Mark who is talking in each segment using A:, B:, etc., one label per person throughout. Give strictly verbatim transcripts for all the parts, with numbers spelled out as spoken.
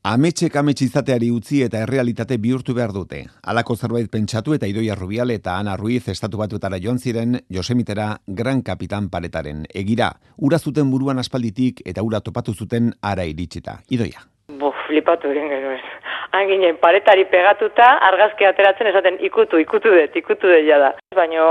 A: Ametsek amets izateari utzi eta errealitate bihurtu behar dute. Halako zerbait pentsatu eta Idoia Rubial eta Ana Ruiz estatu batuetara joan ziren Yosemitera Gran Kapitan Paretaren egira. Ura zuten buruan aspalditik eta ura topatu zuten ara iritsita. Idoia.
B: Bo, flipatu egin genuen. Han ginen paretari pegatuta, argazki ateratzen esaten ikutu, ikutu dut, ikutu dut jada. Baina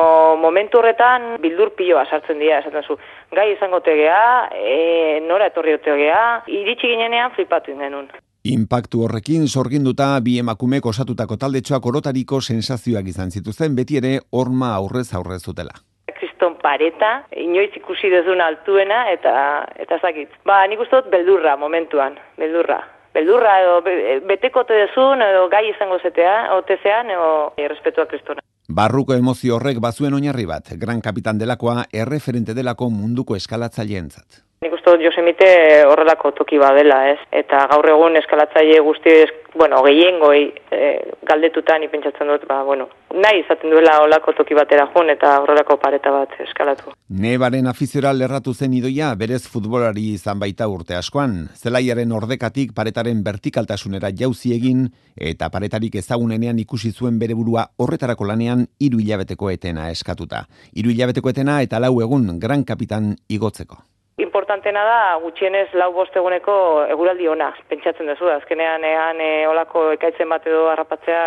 B: momentu horretan bildur piloa sartzen dira, esaten zu. Gai izango tegea, e, nora etorri otegea, iritsi ginenean flipatu egin genuen.
A: Inpaktu horrekin sorginduta bi emakumek osatutako taldetxoak orotariko sensazioak izan zituzten, beti ere horma aurrez aurrez zutela.
B: Kriston Pareta, inoiz ikusi dezun altuena eta eta zakit. Ba, nik uste dut beldurra momentuan, beldurra. Beldurra edo betekote dezun edo gai izango zetea, otezean edo errespetua kristona.
A: Barruko emozio horrek bazuen oinarri bat, Gran Kapitan delakoa erreferente delako munduko eskalatzaileentzat.
B: Nik uste dut Yosemite horrelako toki badela, ez? Eta gaur egun eskalatzaile guzti, bueno, gehiengoi e, galdetutan ipentsatzen dut, ba, bueno, nahi izaten duela horrelako toki batera jun eta horrelako pareta bat eskalatu.
A: Nebaren afiziora lerratu zen Idoia, berez futbolari izan baita urte askoan. Zelaiaren ordekatik paretaren vertikaltasunera jauzi egin eta paretarik ezagunenean ikusi zuen bere burua horretarako lanean hiru hilabeteko etena eskatuta. Hiru hilabeteko etena eta lau egun Gran Kapitan igotzeko.
B: Importantena da, gutxienez lau bost eguneko eguraldi ona, pentsatzen duzu, azkenean ean e, olako ekaitzen bat edo harrapatzea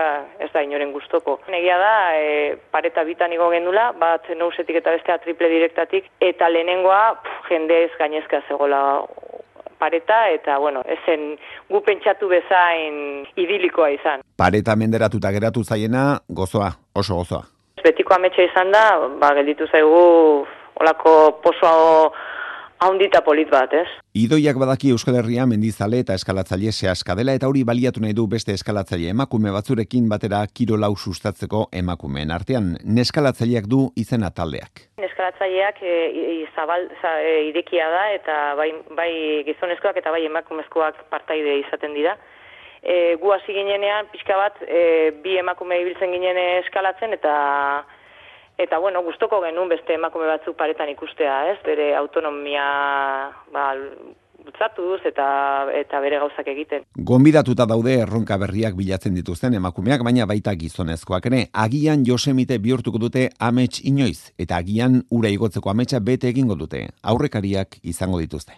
B: ez da inoren gustoko. Egia da, e, pareta bitan igo gendula, bat nousetik eta bestea triple direktatik, eta lehenengoa pff, jendez gainezka zegoela pareta, eta bueno, ezen gu pentsatu bezain idilikoa izan.
A: Pareta menderatuta geratu zaiena, gozoa, oso gozoa.
B: Betiko ametsa izan da, ba, gelditu zaigu olako pozoa haundita polit bat, ez?
A: Idoiak badaki Euskal Herria mendizale eta eskalatzaile sehaska dela eta hori baliatu nahi du beste eskalatzaile emakume batzurekin batera kirolau sustatzeko emakumeen artean. Neskalatzaileak du izena taldeak.
B: Neskalatzaileak e, zabal, za, e, irekia da eta bai, bai gizonezkoak eta bai emakumezkoak partaide izaten dira. E, gu hasi ginenean pixka bat e, bi emakume ibiltzen ginen eskalatzen eta Eta, bueno, gustoko genuen beste emakume batzuk paretan ikustea, ez? Bere autonomia, ba, bultzatuz eta eta bere gauzak egiten.
A: Gonbidatuta daude erronka berriak bilatzen dituzten emakumeak, baina baita gizonezkoak ere. Agian Yosemite bihurtuko dute amets inoiz, eta agian ura igotzeko ametsa bete egingo dute. Aurrekariak izango dituzte.